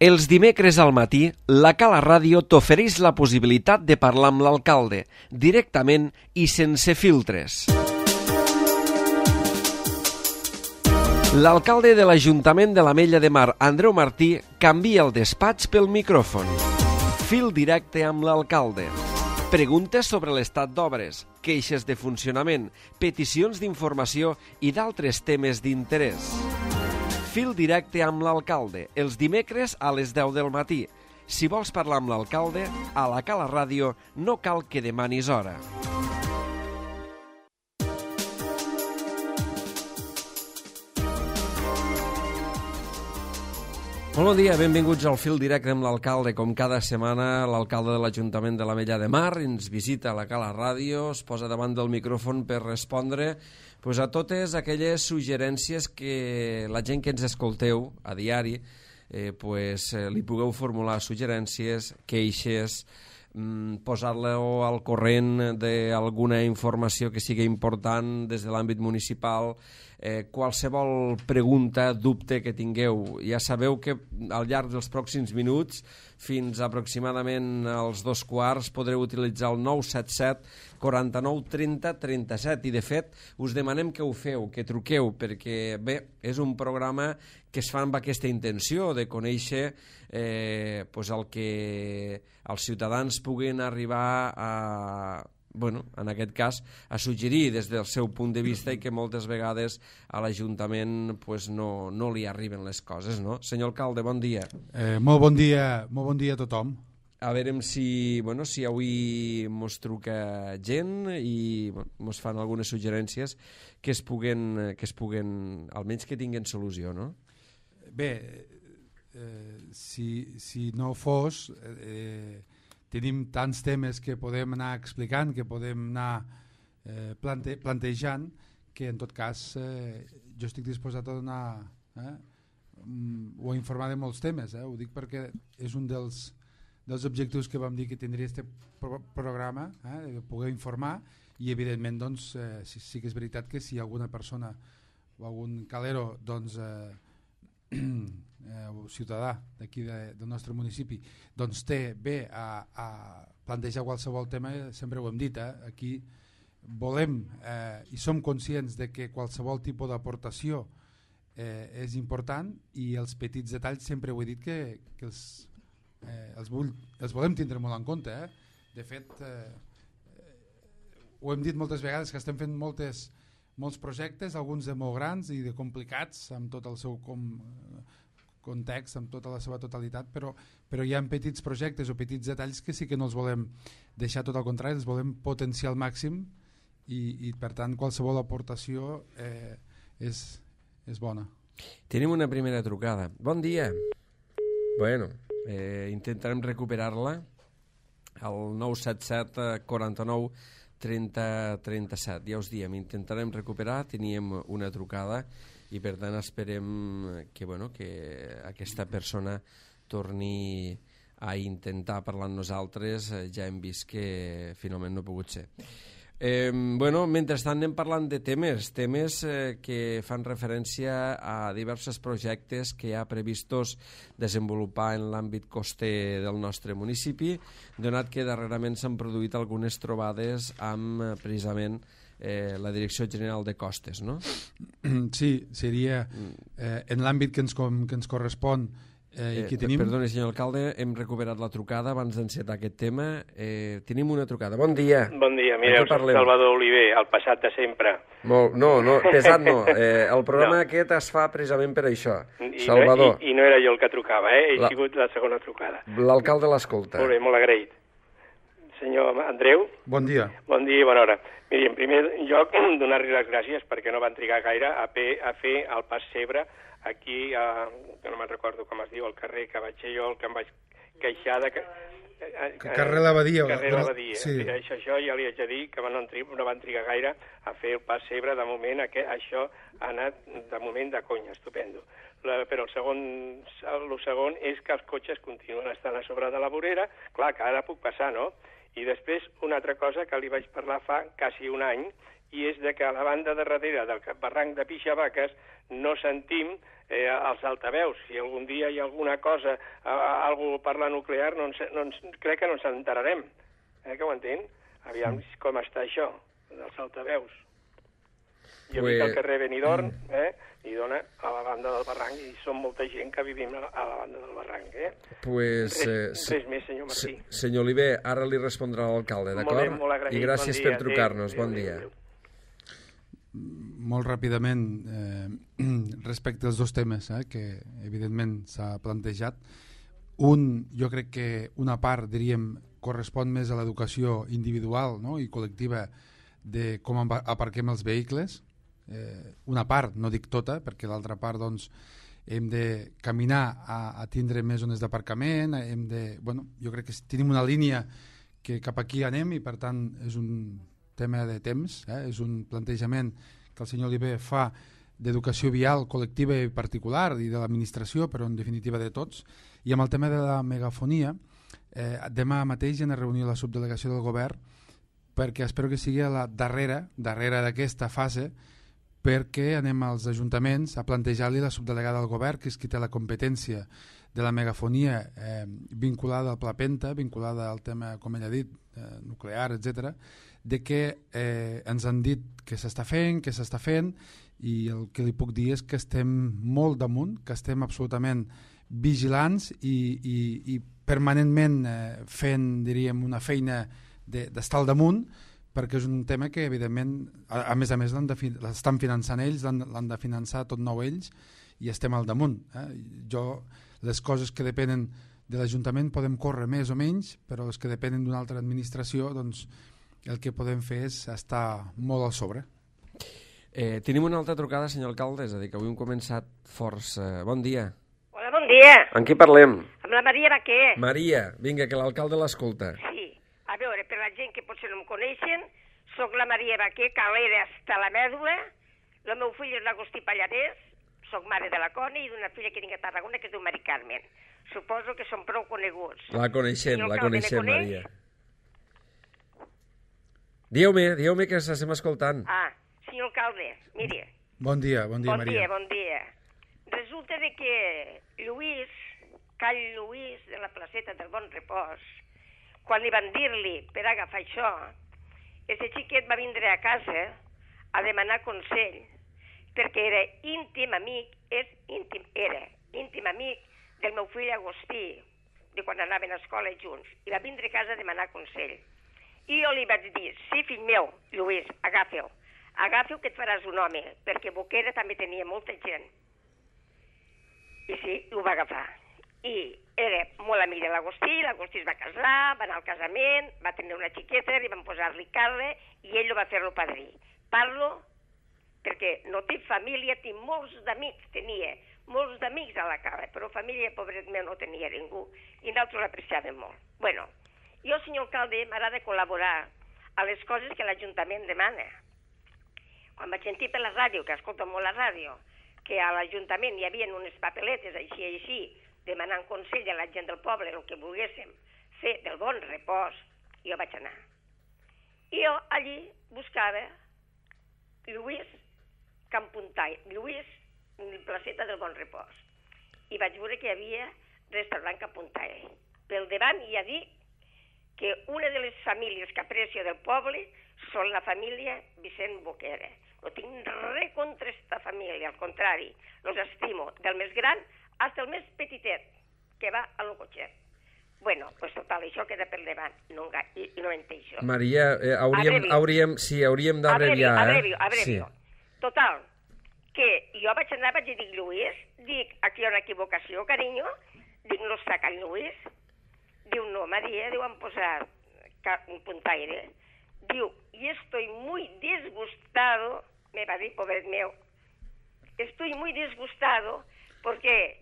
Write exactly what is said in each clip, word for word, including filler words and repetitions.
Els dimecres al matí, la Cala Ràdio t'ofereix la possibilitat de parlar amb l'alcalde, directament i sense filtres. L'alcalde de l'Ajuntament de l'Ametlla de Mar, Andreu Martí, canvia el despatx pel micròfon. Fil directe amb l'alcalde. Preguntes sobre l'estat d'obres, queixes de funcionament, peticions d'informació i d'altres temes d'interès. Fil directe amb l'alcalde, els dimecres a les deu del matí. Si vols parlar amb l'alcalde, a la Cala Ràdio no cal que demanis hora. Molt bon dia, benvinguts al Fil directe amb l'alcalde. Com cada setmana, l'alcalde de l'Ajuntament de l'Ametlla de Mar ens visita a la Cala Ràdio, es posa davant del micròfon per respondre pues, a totes aquelles suggerències que la gent que ens escolteu a diari eh, pues, eh, li pugueu formular suggerències, queixes, mm, posar-lo al corrent d'alguna informació que sigui important des de l'àmbit municipal, eh, qualsevol pregunta, dubte que tingueu. Ja sabeu que al llarg dels pròxims minuts, fins aproximadament als dos quarts, podreu utilitzar el nou set set quaranta-nou trenta trenta-set i de fet us demanem que ho feu, que truqueu, perquè bé, és un programa que es fa amb aquesta intenció de conèixer eh, pues el que els ciutadans puguin arribar a, bueno, en aquest cas, a suggerir des del seu punt de vista i que moltes vegades a l'Ajuntament pues, no, no li arriben les coses, no? Senyor alcalde, bon dia. Eh, molt bon dia, molt bon dia a tothom. A veure si, bueno, si avui mos truca gent i bueno, mos fan algunes suggerències que es puguen, que es puguen, almenys que tinguen solució, no? Bé, eh, si, si no fos, eh, tenim tants temes que podem anar explicant, que podem anar eh, plante, plantejant, que en tot cas eh, jo estic disposat a donar eh, o a informar de molts temes. Eh? Ho dic perquè és un dels dels objectius que vam dir que tindria aquest pro programa, eh, poder informar i evidentment doncs, eh, sí, sí que és veritat que si alguna persona o algun calero doncs, eh, eh, o ciutadà d'aquí de, del nostre municipi doncs té bé a, a plantejar qualsevol tema, sempre ho hem dit, eh, aquí volem eh, i som conscients de que qualsevol tipus d'aportació eh, és important i els petits detalls sempre ho he dit que, que els Eh, els, vull, els volem tindre molt en compte. Eh? De fet, eh, ho hem dit moltes vegades que estem fent moltes, molts projectes, alguns de molt grans i de complicats, amb tot el seu com, context, amb tota la seva totalitat, però, però hi ha petits projectes o petits detalls que sí que no els volem deixar, tot al contrari, els volem potenciar al màxim i, i per tant qualsevol aportació eh, és, és bona. Tenim una primera trucada. Bon dia. Bueno... Eh, intentarem recuperar-la al nou set set quaranta-nou trenta trenta-set. Ja us diem, intentarem recuperar, teníem una trucada i per tant esperem que, bueno, que aquesta persona torni a intentar parlar amb nosaltres. Ja hem vist que finalment no ha pogut ser. Eh, bueno, mentrestant anem parlant de temes, temes eh, que fan referència a diversos projectes que hi ha previstos desenvolupar en l'àmbit coster del nostre municipi, donat que darrerament s'han produït algunes trobades amb eh, precisament eh, la Direcció General de Costes, no? Sí, seria eh, en l'àmbit que ens, com, que ens correspon. Eh, eh, tenim... Perdoni, senyor alcalde, hem recuperat la trucada abans d'encetar aquest tema. Eh, tenim una trucada. Bon dia. Bon dia, mireu, soc Salvador Oliver, el passat de sempre. Molt, no, no, pesat no. Eh, el programa no. aquest es fa precisament per això. I, Salvador. I, I no era jo el que trucava, eh? He la... sigut la segona trucada. L'alcalde l'escolta. Molt bé, molt agraït. Senyor Andreu. Bon dia. Bon dia i bona hora. Miri, en primer lloc, donar-li les gràcies perquè no van trigar gaire a, pe, a fer el pas Cebre aquí, a, que no me'n recordo com es diu, el carrer que vaig ser jo, el que em vaig queixar de... Que, a, a, carrer L'Abadia. Carrer L'Abadia. Sí. Això, això ja li haig de dir que no, no van trigar gaire a fer el pas Cebre. De moment aquest, això ha anat de moment de conya, estupendo. La, però el segon, el segon és que els cotxes continuen estant a sobre de la vorera. Clar, que ara puc passar, no? I després una altra cosa que li vaig parlar fa quasi un any i és de que a la banda de darrere del barranc de Pixavaques no sentim eh, els altaveus. Si algun dia hi ha alguna cosa, eh, algú per la nuclear, no ens, no ens, crec que no ens enterarem. Eh, que ho entén? Aviam com està això, dels altaveus. Jo pues... visc al carrer Benidorm, eh, i dona a la banda del barranc, i som molta gent que vivim a la, a la banda del barranc. Eh? Pues, res, eh, res més, senyor Martí. Se, senyor Oliver, ara li respondrà l'alcalde, d'acord? I gràcies bon per trucar-nos. Bon dia. Adéu, adéu. Molt ràpidament, eh, respecte als dos temes eh, que evidentment s'ha plantejat. Un, jo crec que una part, diríem, correspon més a l'educació individual, no?, i col·lectiva de com aparquem els vehicles. Eh, una part, no dic tota, perquè l'altra part doncs, hem de caminar a, a tindre més zones d'aparcament, hem de, bueno, jo crec que tenim una línia que cap aquí anem i per tant és un tema de temps, eh? És un plantejament que el senyor Oliver fa d'educació vial col·lectiva i particular i de l'administració, però en definitiva de tots. I amb el tema de la megafonia, eh, demà mateix en reunió la subdelegació del govern, perquè espero que sigui a la darrera, darrera d'aquesta fase, perquè anem als ajuntaments a plantejar-li la subdelegada del govern, que és qui té la competència de la megafonia eh, vinculada al Pla Penta, vinculada al tema, com ell ha dit, eh, nuclear, etcètera, de que eh, ens han dit que s'està fent, que s'està fent, i el que li puc dir és que estem molt damunt, que estem absolutament vigilants i, i, i permanentment eh, fent, diríem, una feina d'estar al damunt, perquè és un tema que, evidentment, a, a més a més l'estan finançant ells, l'han de finançar tot nou ells, i estem al damunt. Eh? Jo, les coses que depenen de l'Ajuntament podem córrer més o menys, però les que depenen d'una altra administració, doncs el que podem fer és estar molt al sobre. Eh, tenim una altra trucada, senyor alcalde, és a dir, que avui hem començat força. Bon dia. Hola, bon dia. Amb qui parlem? Amb la Maria Baquer. Maria, vinga, que l'alcalde l'escolta. Sí, a veure, per la gent que potser no em coneixen, soc la Maria Baquer, calera hasta la mèdula, el meu fill és l'Agustí Pallarès, soc mare de la Coni i d'una filla que tinc a Tarragona que es diu Mari Carmen. Suposo que són prou coneguts. La coneixem, la coneixem, Maria. Dieu-me, dieu-me que s'estem escoltant. Ah, senyor alcalde, mire. Bon dia, bon dia, bon Maria. Bon dia, bon dia. Resulta de que Lluís, Call Lluís, de la placeta del Bon Repòs, quan li van dir-li per agafar això, aquest xiquet va vindre a casa a demanar consell, perquè era íntim amic, és íntim, era íntim amic del meu fill Agustí, de quan anaven a escola junts, i va vindre a casa a demanar consell. I jo li vaig dir, sí, fill meu, Lluís, agafa-ho, agafa-ho que et faràs un home, perquè Boquera també tenia molta gent. I sí, ho va agafar. I era molt amic de l'Agustí, l'Agustí es va casar, va anar al casament, va tenir una xiqueta, li van posar-li Carle, i ell lo va fer-lo padrí. Parlo perquè no té família, té molts d'amics, tenia molts d'amics a la cara, però família, pobret meu, no tenia ningú, i nosaltres l'apreciàvem molt. Bueno, jo, senyor alcalde, m'agrada col·laborar a les coses que l'Ajuntament demana. Quan vaig sentir per la ràdio, que escolto molt la ràdio, que a l'Ajuntament hi havia unes papeletes així i així, demanant consell a la gent del poble, el que volguéssim fer del Bon Repòs, jo vaig anar. I jo allí buscava Lluís Campuntai, Lluís Placeta del Bon Repòs. I vaig veure que hi havia restaurant Campuntai. Pel davant hi ha dit que una de les famílies que aprecio del poble són la família Vicent Boquera. No tinc res contra aquesta família, al contrari, los estimo, del més gran fins al més petitet, que va a lo cotxet. Bueno, pues total, això queda per davant, no, i, i no entenc això. Maria, eh, hauríem, hauríem, sí, hauríem d'abreviar, eh? Abrevio, abrevio. Sí. Total, que jo vaig anar, vaig dir, Lluís, dic, aquí hi ha una equivocació, carinyo, dic, no està Can Lluís? Diu, no, Maria, diu, han posat un puntaire. Diu, y estoy muy disgustado, me va dir, pobret meu, estoy muy disgustado porque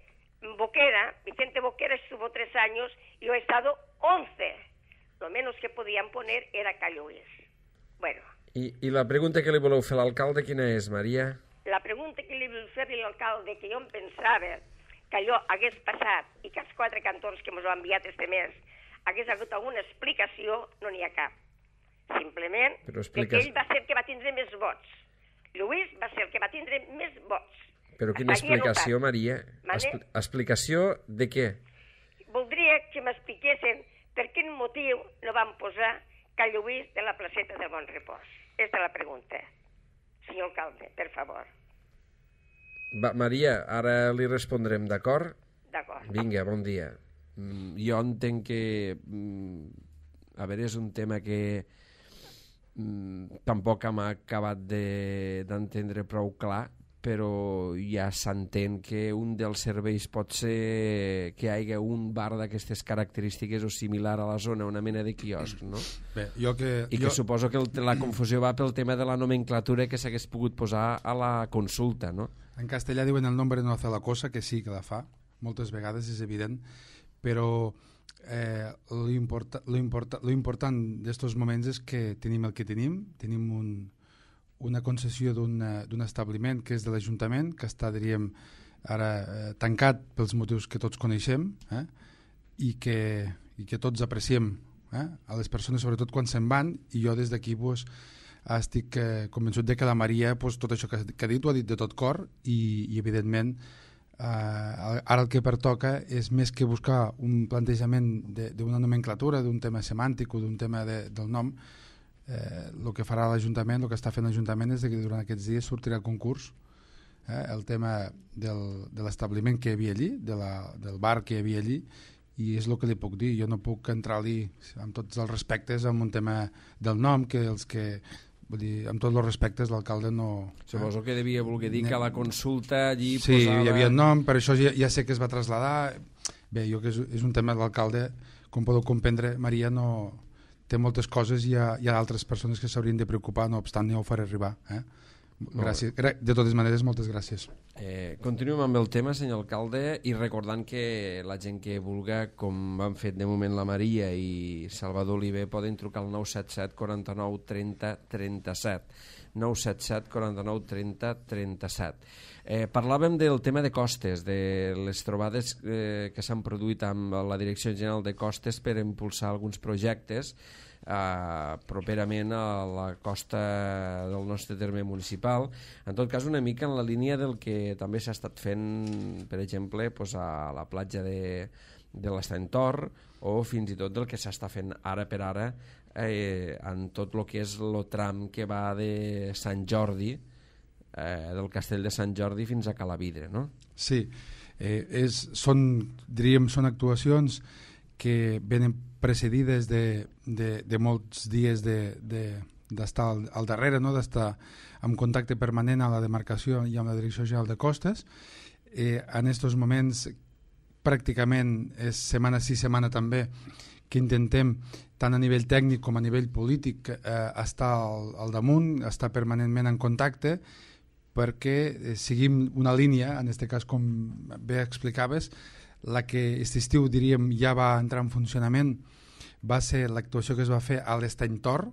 Boquera, Vicente Boquera estuvo tres años y yo he estado once. Lo menos que podían poner era Calluís. Bueno. I, I la pregunta que li voleu fer a l'alcalde quina és, Maria? La pregunta que li vull fer a l'alcalde, que jo em pensava que allò hagués passat i que els quatre cantons que ens ho han enviat este mes hagués hagut alguna explicació, no n'hi ha cap. simplement expliques... perquè ell va ser el que va tindre més vots. Lluís va ser el que va tindre més vots. Però quina explicació, Maria? Expl explicació de què? Voldria que m'expliquessin per quin motiu no van posar Cal Lluís de la placeta del Bon Repòs. Aquesta és la pregunta. Senyor alcalde, per favor. Va, Maria, ara li respondrem, d'acord? D'acord. Vinga, bon dia. Mm, jo entenc que... Mm, a veure, és un tema que mm, tampoc hem acabat d'entendre de, prou clar, però ja s'entén que un dels serveis pot ser que hi hagi un bar d'aquestes característiques o similar a la zona, una mena de quiosc, no? Bé, jo que, I que jo... suposo que el, la confusió va pel tema de la nomenclatura que s'hagués pogut posar a la consulta, no? En castellà diuen el nombre no hace la cosa, que sí que la fa, moltes vegades és evident, però eh, lo, importa, lo, importa, lo important d'estos moments és que tenim el que tenim, tenim un una concessió d'un establiment que és de l'Ajuntament, que està, diríem, ara eh, tancat pels motius que tots coneixem, eh, i, que, i que tots apreciem eh, a les persones, sobretot quan se'n van, i jo des d'aquí pues, estic eh, convençut de que la Maria pues, tot això que, que ha dit ho ha dit de tot cor i, i evidentment eh, ara el que pertoca és més que buscar un plantejament d'una nomenclatura, d'un tema semàntic o d'un tema de, del nom. Eh, el que farà l'Ajuntament, el que està fent l'Ajuntament és que durant aquests dies sortirà el concurs, eh, el tema del, de l'establiment que hi havia allí, de la, del bar que hi havia allí, i és el que li puc dir. Jo no puc entrar-li amb tots els respectes en un tema del nom, que els que, vull dir, amb tots els respectes l'alcalde no... Suposo eh? que devia voler dir que a la consulta allí sí, posava... Sí, hi havia nom, per això ja, ja sé que es va traslladar. Bé, jo que és, és un tema de l'alcalde, com podeu comprendre, Maria no... té moltes coses i hi ha, hi ha altres persones que s'haurien de preocupar, no obstant ja ho faré arribar. Eh? Gràcies. De totes maneres, moltes gràcies. Eh, continuem amb el tema, senyor alcalde, i recordant que la gent que vulga, com han fet de moment la Maria i Salvador Oliver, poden trucar al nou set set, quaranta-nou, trenta, trenta-set. nou set set, quaranta-nou, trenta, trenta-set. Eh, parlàvem del tema de costes, de les trobades eh, que s'han produït amb la Direcció General de Costes per impulsar alguns projectes eh, properament a la costa del nostre terme municipal. En tot cas, una mica en la línia del que també s'ha estat fent, per exemple, pues, a la platja de, de l'Estany Tor, o fins i tot del que s'està fent ara per ara eh, en tot el que és el tram que va de Sant Jordi, eh, del Castell de Sant Jordi fins a Calavidre, no? Sí, eh, és, són, diríem, són actuacions que venen precedides de, de, de molts dies de, de, d'estar al, al darrere, no? D'estar en contacte permanent a la demarcació i amb la Direcció General de Costes. Eh, en aquests moments pràcticament és setmana sí, setmana també, que intentem tant a nivell tècnic com a nivell polític eh, estar al, al damunt, estar permanentment en contacte, perquè eh, seguim una línia, en aquest cas com bé explicaves, la que aquest estiu diríem ja va entrar en funcionament, va ser l'actuació que es va fer a l'Estany Tor.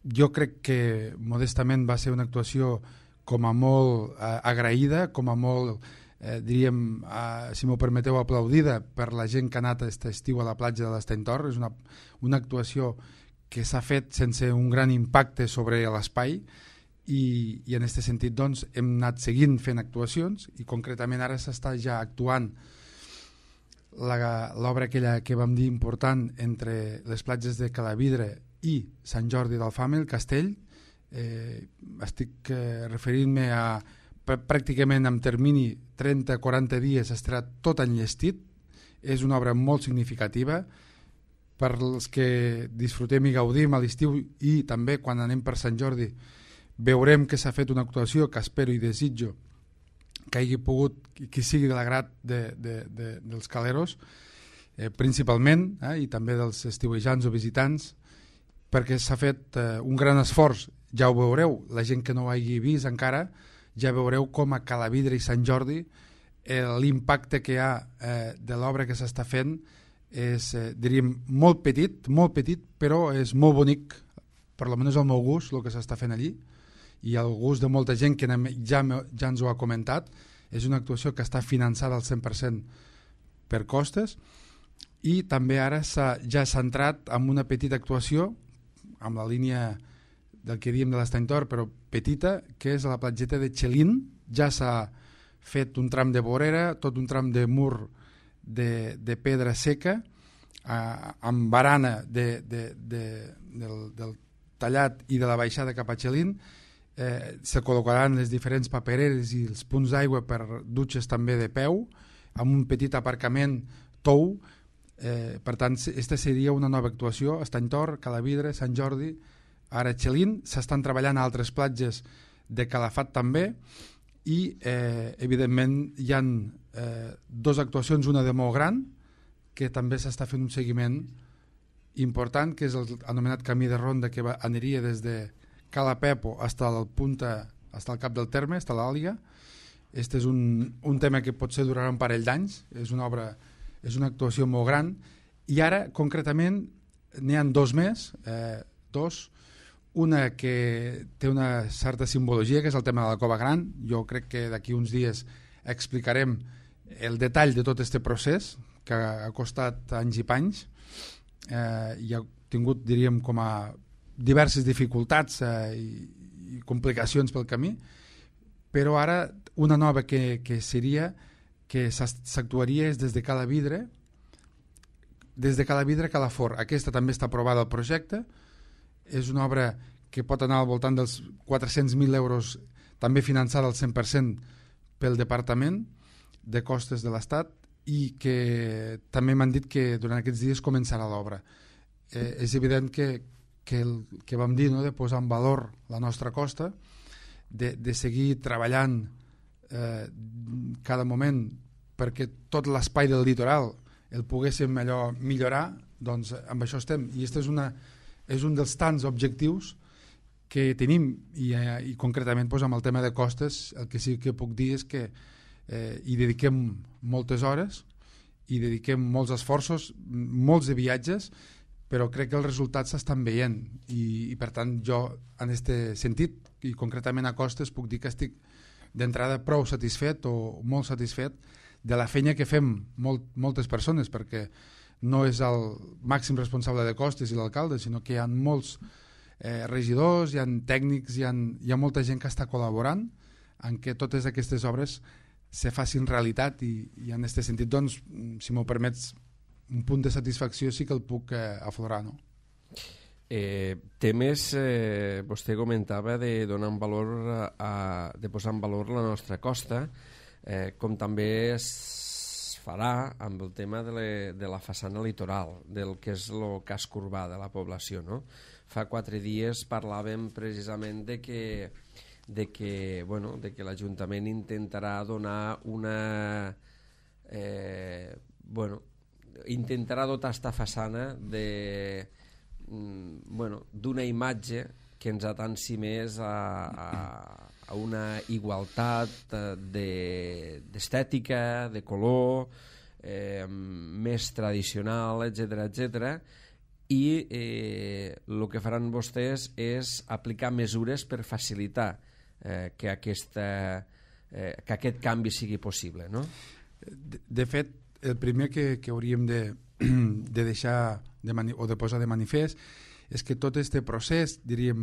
Jo crec que modestament va ser una actuació com a molt eh, agraïda, com a molt eh, diríem, eh, si m'ho permeteu, aplaudida per la gent que ha anat aquest estiu a la platja de l'Estany Tor. És una, una actuació que s'ha fet sense un gran impacte sobre l'espai i, i en aquest sentit doncs, hem anat seguint fent actuacions i concretament ara s'està ja actuant l'obra aquella que vam dir important entre les platges de Calavidre i Sant Jordi d'Alfama, el castell. Eh, estic eh, referint-me a pràcticament en termini trenta a quaranta dies estarà tot enllestit. És una obra molt significativa per als que disfrutem i gaudim a l'estiu i també quan anem per Sant Jordi veurem que s'ha fet una actuació que espero i desitjo que hagi pogut, que sigui de l'agrat de, de, de, dels caleros, eh, principalment, eh, i també dels estiuejants o visitants, perquè s'ha fet eh, un gran esforç, ja ho veureu, la gent que no ho hagi vist encara, ja veureu com a Calavidre i Sant Jordi eh, l'impacte que hi ha eh, de l'obra que s'està fent és, eh, diríem, molt petit, molt petit, però és molt bonic, per almenys al meu gust, el que s'està fent allí, i el gust de molta gent que ja, ja ens ho ha comentat. És una actuació que està finançada al cent per cent per costes i també ara s'ha ja centrat en una petita actuació amb la línia del que diem de l'Estany Tor, però petita, que és a la platgeta de Xelín. Ja s'ha fet un tram de vorera, tot un tram de mur de, de pedra seca, eh, amb barana de, de, de, del, del tallat i de la baixada cap a Xelín. Eh, se col·locaran les diferents papereres i els punts d'aigua per dutxes també de peu, amb un petit aparcament tou. Eh, per tant, aquesta seria una nova actuació. Estany Tor, Calavidre, Sant Jordi, ara Xelín. S'estan treballant a altres platges de Calafat també, i eh, evidentment hi ha eh, dues actuacions, una de molt gran, que també s'està fent un seguiment important, que és el anomenat camí de ronda, que va, aniria des de Cala Pepo fins al punta, fins al cap del terme, fins a l'Àliga. Este és un, un tema que potser durarà un parell d'anys, és una obra, és una actuació molt gran, i ara concretament n'hi ha dos més, eh, dos, una que té una certa simbologia, que és el tema de la Cova Gran. Jo crec que d'aquí uns dies explicarem el detall de tot aquest procés, que ha costat anys i panys, eh, i ha tingut, diríem, com a diverses dificultats eh, i, i complicacions pel camí, però ara una nova que, que seria que s'actuaria és des de Cala Vidre, des de Cala Vidre a Calafort. Aquesta també està aprovada al projecte. És una obra que pot anar al voltant dels quatre-cents mil euros, també finançada al cent per cent pel Departament de Costes de l'Estat, i que també m'han dit que durant aquests dies començarà l'obra. Eh, és evident que, que el que vam dir, no?, de posar en valor la nostra costa, de, de seguir treballant eh, cada moment perquè tot l'espai del litoral el poguéssim allò millorar, doncs amb això estem. I aquesta és una és un dels tants objectius que tenim, i, eh, i concretament doncs, amb el tema de costes el que sí que puc dir és que eh, hi dediquem moltes hores, hi dediquem molts esforços, molts de viatges, però crec que els resultats s'estan veient, i, i per tant jo en aquest sentit, i concretament a costes, puc dir que estic d'entrada prou satisfet o molt satisfet de la feina que fem molt, moltes persones, perquè no és el màxim responsable de costes i l'alcalde, sinó que hi ha molts eh, regidors, hi ha tècnics, hi ha, hi ha molta gent que està col·laborant en què totes aquestes obres se facin realitat, i, i en aquest sentit, doncs, si m'ho permets, un punt de satisfacció sí que el puc eh, aflorar, no? Eh, temes, eh, vostè comentava de donar en valor, a, de posar en valor la nostra costa, eh, com també es farà amb el tema de, le, de la façana litoral, del que és el casc urbà de la població, no? Fa quatre dies parlàvem precisament de que, de que, bueno, de que l'Ajuntament intentarà donar una... Eh, bueno, intentarà dotar esta façana de, bueno, d'una imatge que ens atansi més a, a, a una igualtat d'estètica, de, de color, eh, més tradicional, etcètera, etcètera, i eh, el que faran vostès és aplicar mesures per facilitar eh, que, aquesta, eh, que aquest canvi sigui possible, no? De, de fet, el primer que, que hauríem de, de deixar de mani, o de posar de manifest és que tot aquest procés, diríem,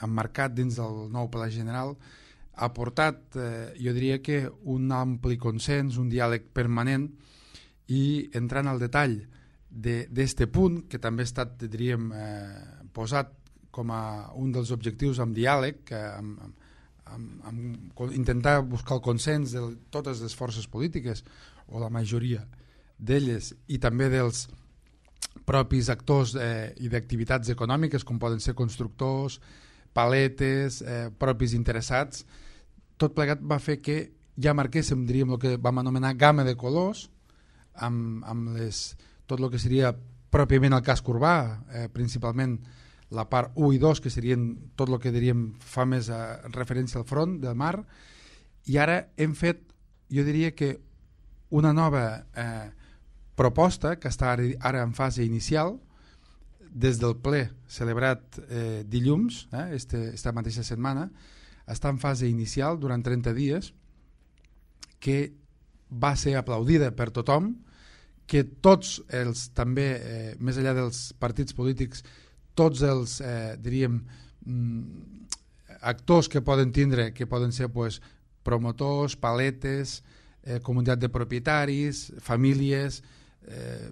emmarcat dins del nou Pla General, ha portat, eh, jo diria que un ampli consens, un diàleg permanent, i entrant al detall d'aquest punt, que també ha estat, diríem, eh, posat com a un dels objectius amb diàleg, eh, amb, amb, amb intentar buscar el consens de totes les forces polítiques, o la majoria d'elles, i també dels propis actors eh, i d'activitats econòmiques, com poden ser constructors, paletes, eh, propis interessats. Tot plegat va fer que ja marquéssim, diríem, el que vam anomenar gamma de colors, amb, amb les, tot el que seria pròpiament el casc urbà, eh, principalment la part u i dos, que serien tot el que diríem fa més eh, referència al front del mar, i ara hem fet, jo diria que una nova eh, proposta que està ara, ara en fase inicial, des del ple celebrat eh, dilluns, eh, este, esta mateixa setmana, està en fase inicial durant trenta dies, que va ser aplaudida per tothom, que tots els, també, eh, més enllà dels partits polítics, tots els, eh, diríem, actors que poden tindre, que poden ser pues, promotors, paletes, eh, comunitat de propietaris, famílies, eh,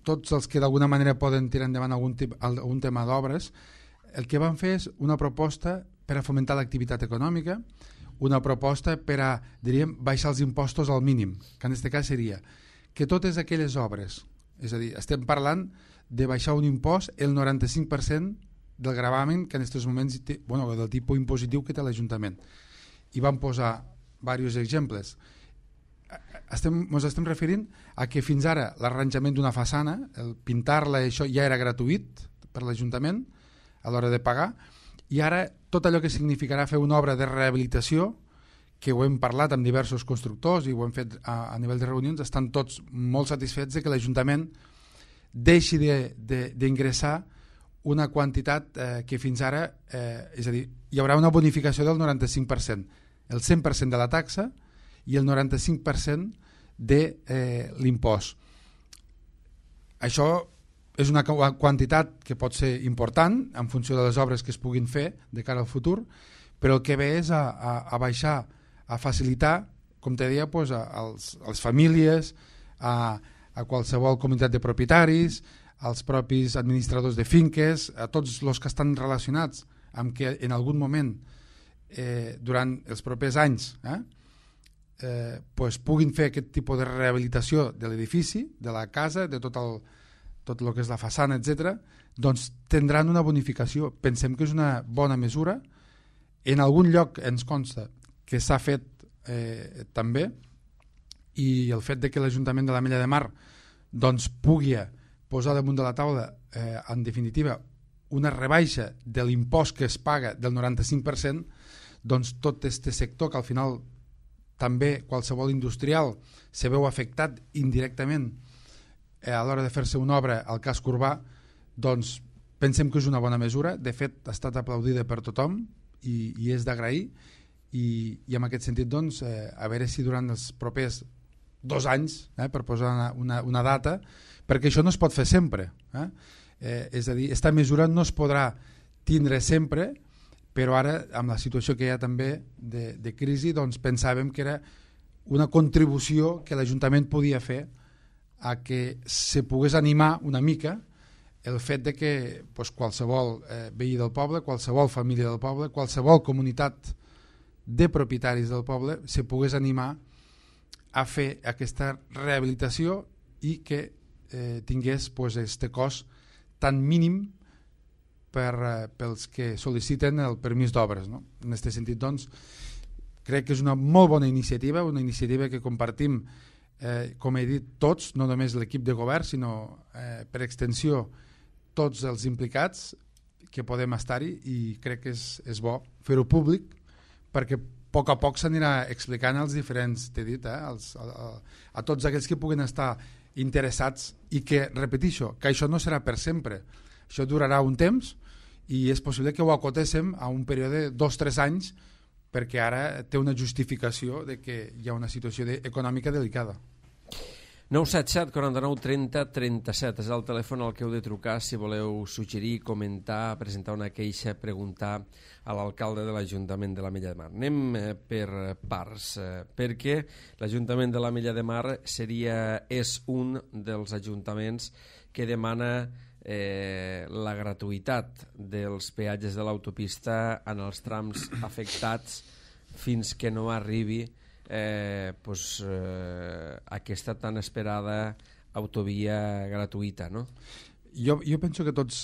tots els que d'alguna manera poden tirar endavant algun, tip, algun tema d'obres, el que van fer és una proposta per a fomentar l'activitat econòmica, una proposta per a, diríem, baixar els impostos al mínim, que en aquest cas seria que totes aquelles obres, és a dir, estem parlant de baixar un impost el noranta-cinc per cent del gravamen que en aquests moments té, bueno, del tipus impositiu que té l'Ajuntament. I van posar diversos exemples. Estem, ens estem referint a que fins ara l'arranjament d'una façana, el pintar-la, això ja era gratuït per l'Ajuntament a l'hora de pagar, i ara tot allò que significarà fer una obra de rehabilitació, que ho hem parlat amb diversos constructors i ho hem fet a, a nivell de reunions, estan tots molt satisfets de que l'Ajuntament deixi d'ingressar una quantitat eh, que fins ara, eh, és a dir, hi haurà una bonificació del noranta-cinc per cent, el cent per cent de la taxa i el noranta-cinc per cent de eh, l'impost. Això és una quantitat que pot ser important en funció de les obres que es puguin fer de cara al futur, però el que ve és a, a, a baixar, a facilitar, com te deia, pues, a, als, a les famílies, a, a qualsevol comunitat de propietaris, als propis administradors de finques, a tots els que estan relacionats amb que en algun moment, eh, durant els propers anys, eh, eh, pues, puguin fer aquest tipus de rehabilitació de l'edifici, de la casa, de tot el, tot el que és la façana, etcètera, doncs tindran una bonificació. Pensem que és una bona mesura. En algun lloc ens consta que s'ha fet eh, també, i el fet de que l'Ajuntament de l'Ametlla de Mar doncs, pugui posar damunt de la taula, eh, en definitiva, una rebaixa de l'impost que es paga del noranta-cinc per cent, doncs tot aquest sector que al final també qualsevol industrial se veu afectat indirectament eh, a l'hora de fer-se una obra al casc urbà, doncs pensem que és una bona mesura. De fet, ha estat aplaudida per tothom i, i és d'agrair, i, i en aquest sentit doncs, eh, a veure si durant els propers dos anys, eh, per posar una, una, una data, perquè això no es pot fer sempre. Eh? Eh, és a dir, aquesta mesura no es podrà tindre sempre, però ara, amb la situació que hi ha també de, de crisi, doncs pensàvem que era una contribució que l'Ajuntament podia fer a que se pogués animar una mica el fet de que pues, qualsevol eh, veí del poble, qualsevol família del poble, qualsevol comunitat de propietaris del poble se pogués animar a fer aquesta rehabilitació i que eh, tingués pues, este cost tan mínim per, eh, pels que sol·liciten el permís d'obres. No? En aquest sentit, doncs, crec que és una molt bona iniciativa, una iniciativa que compartim, eh, com he dit, tots, no només l'equip de govern, sinó eh, per extensió tots els implicats que podem estar-hi, i crec que és, és bo fer-ho públic perquè a poc a poc s'anirà explicant als diferents, t'he dit, eh, als, a, a, a tots aquells que puguen estar interessats, i que, repetixo, que això no serà per sempre, això durarà un temps i és possible que ho acotéssim a un període de dos o tres anys, perquè ara té una justificació de que hi ha una situació de, econòmica delicada. nou set set, quaranta-nou, trenta, trenta-set és el telèfon al que heu de trucar si voleu suggerir, comentar, presentar una queixa, preguntar a l'alcalde de l'Ajuntament de l'Ametlla de Mar. Anem eh, per parts, eh, perquè l'Ajuntament de l'Ametlla de Mar seria, és un dels ajuntaments que demana eh, la gratuïtat dels peatges de l'autopista en els trams afectats fins que no arribi Eh, pues, eh, aquesta tan esperada autovia gratuïta, no? Jo, jo penso que tots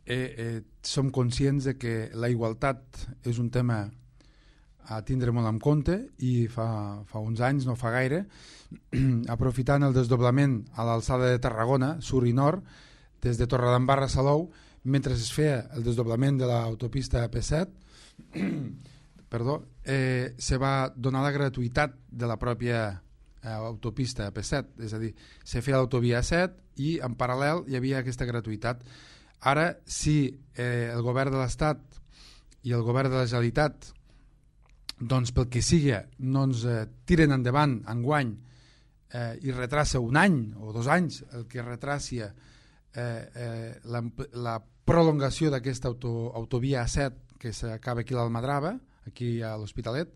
eh, eh, som conscients de que la igualtat és un tema a tindre molt en compte, i fa, fa uns anys, no fa gaire, aprofitant el desdoblament a l'alçada de Tarragona, sur i nord, des de Torredembarra a Salou, mentre es feia el desdoblament de l'autopista A P set, perdó, eh, se va donar la gratuïtat de la pròpia eh, autopista A P set, és a dir, se feia l'autovia A set i en paral·lel hi havia aquesta gratuïtat. Ara, si eh, el govern de l'Estat i el govern de la Generalitat, doncs pel que sigui, no ens eh, tiren endavant enguany eh, i retrassa un any o dos anys el que retràcia eh, eh, la, la prolongació d'aquesta auto, autovia A set que s'acaba aquí a l'Almadrava, aquí a l'Hospitalet,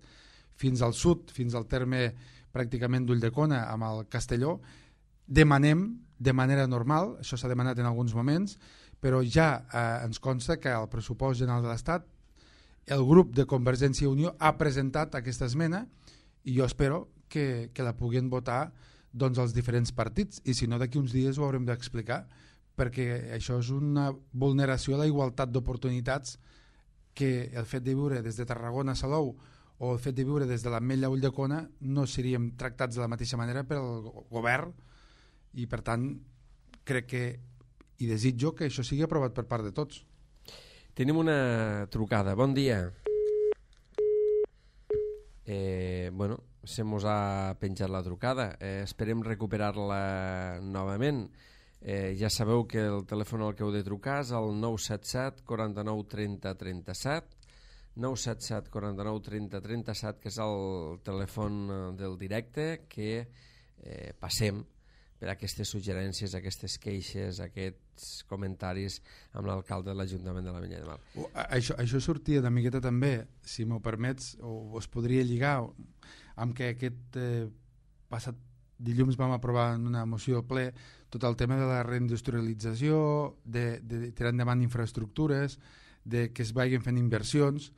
fins al sud, fins al terme pràcticament d'Ulldecona amb el Castelló. Demanem de manera normal, això s'ha demanat en alguns moments, però ja eh, ens consta que al pressupost general de l'Estat el grup de Convergència i Unió ha presentat aquesta esmena i jo espero que, que la puguin votar doncs, els diferents partits, i si no d'aquí uns dies ho haurem d'explicar, perquè això és una vulneració a la igualtat d'oportunitats que el fet de viure des de Tarragona a Salou o el fet de viure des de l'Ametlla a Ulldecona no seríem tractats de la mateixa manera pel govern, i per tant crec que i desitjo que això sigui aprovat per part de tots. Tenim una trucada. Bon dia. Eh, bueno, se mos ha penjat la trucada. Eh, esperem recuperar-la novament. Eh, ja sabeu que el telèfon al que heu de trucar és el nou set set quaranta-nou trenta trenta-set, nou set set quaranta-nou trenta trenta-set, que és el telèfon del directe que eh, passem per aquestes suggerències, aquestes queixes, aquests comentaris amb l'alcalde de l'Ajuntament de l'Ametlla de Mar. Això, això sortia una miqueta també, si m'ho permets, o es podria lligar amb que aquest eh, passat dilluns vam aprovar en una moció al ple tot el tema de la reindustrialització, de, de tirar endavant infraestructures, de que es vagin fent inversions,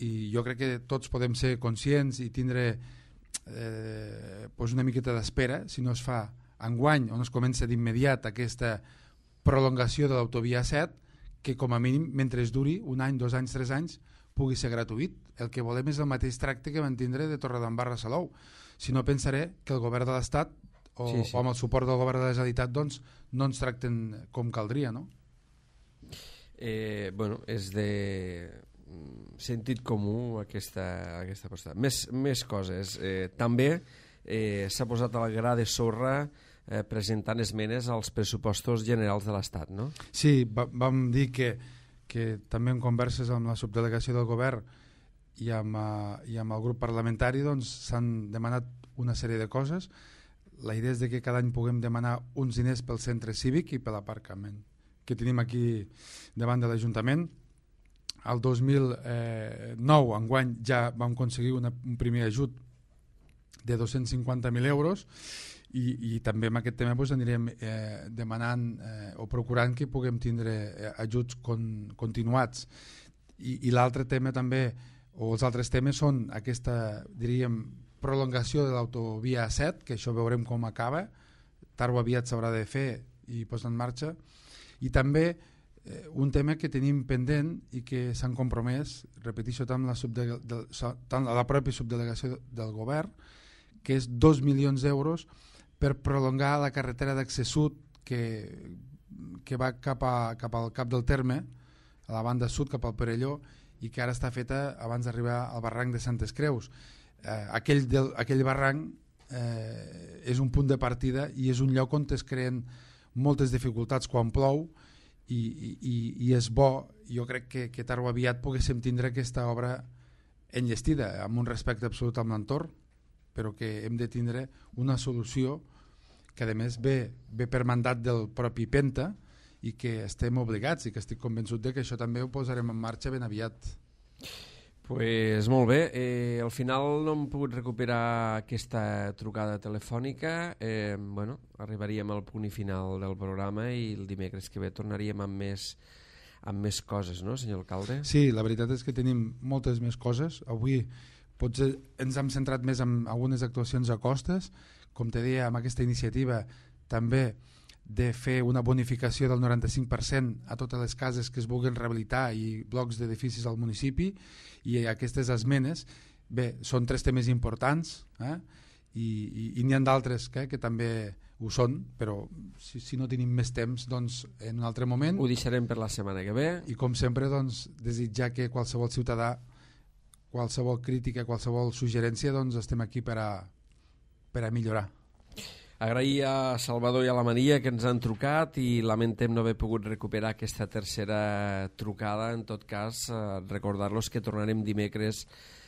i jo crec que tots podem ser conscients i tindre eh, pues una miqueta d'espera si no es fa enguany o no es comença d'immediat aquesta prolongació de l'autovia set, que com a mínim mentre es duri un any, dos anys, tres anys pugui ser gratuït. El que volem és el mateix tracte que van tindre de Torredembarra a Salou. Si no, pensaré que el govern de l'Estat o, sí, sí. o amb el suport del govern de la Generalitat doncs, no ens tracten com caldria, no? Eh, bueno, és de sentit comú aquesta, aquesta postura. Més, més coses. Eh, també eh, s'ha posat a la gra de sorra eh, presentant esmenes als pressupostos generals de l'Estat, no? Sí, va, vam dir que, que també en converses amb la subdelegació del govern i amb, uh, i amb el grup parlamentari doncs, s'han demanat una sèrie de coses. La idea és de que cada any puguem demanar uns diners pel centre cívic i per l'aparcament que tenim aquí davant de l'Ajuntament. El dos mil nou, enguany, ja vam aconseguir una, un primer ajut de dos-cents cinquanta mil euros i, i també amb aquest tema doncs, anirem eh, demanant eh, o procurant que puguem tindre eh, ajuts con, continuats. I, i l'altre tema també, o els altres temes són aquesta, diríem, prolongació de l'autovia set, que això veurem com acaba, tard o aviat s'haurà de fer i posar en marxa, i també eh, un tema que tenim pendent i que s'han compromès, repeteixo, tant la, subde de, tant la pròpia subdelegació del govern, que és dos milions d'euros per prolongar la carretera d'accés sud que, que va cap, a, cap al cap del terme, a la banda sud cap al Perelló, i que ara està feta abans d'arribar al barranc de Santes Creus. Eh, aquell, del, aquell barranc eh, és un punt de partida i és un lloc on es creen moltes dificultats quan plou i, i, i és bo, jo crec que, que tard o aviat poguéssim tindre aquesta obra enllestida, amb un respecte absolut amb l'entorn, però que hem de tindre una solució que a més ve, ve per mandat del propi Penta i que estem obligats i que estic convençut de que això també ho posarem en marxa ben aviat. Pues molt bé, eh, al final no hem pogut recuperar aquesta trucada telefònica, eh, bueno, arribaríem al punt i final del programa i el dimecres que ve tornaríem amb més, amb més coses, no, senyor alcalde? Sí, la veritat és que tenim moltes més coses. Avui potser ens hem centrat més en algunes actuacions a costes, com te deia, amb aquesta iniciativa també de fer una bonificació del noranta-cinc per cent a totes les cases que es vulguin rehabilitar i blocs d'edificis al municipi, i aquestes esmenes, bé, són tres temes importants, eh? i, i, i n'hi ha d'altres que, que també ho són, però si, si no tenim més temps, doncs en un altre moment... Ho deixarem per la setmana que ve. I com sempre, doncs, desitjar que qualsevol ciutadà, qualsevol crítica, qualsevol suggerència, doncs estem aquí per a, per a millorar. Agrair a Salvador i a la Maria que ens han trucat i lamentem no haver pogut recuperar aquesta tercera trucada. En tot cas, eh, recordar-los que tornarem dimecres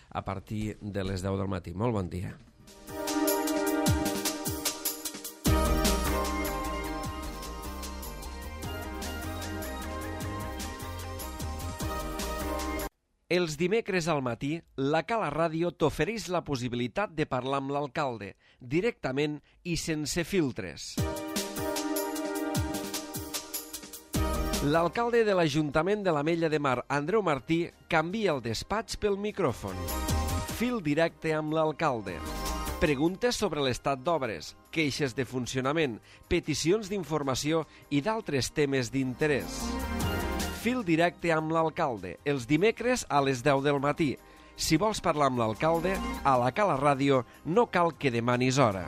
a partir de les deu del matí. Molt bon dia. Els dimecres al matí, la Cala Ràdio t'ofereix la possibilitat de parlar amb l'alcalde, directament i sense filtres. L'alcalde de l'Ajuntament de l'Ametlla de Mar, Andreu Martí, canvia el despatx pel micròfon. Fil directe amb l'alcalde. Preguntes sobre l'estat d'obres, queixes de funcionament, peticions d'informació i d'altres temes d'interès. Fil directe amb l'alcalde, els dimecres a les deu del matí. Si vols parlar amb l'alcalde, a la Cala Ràdio no cal que demanis hora.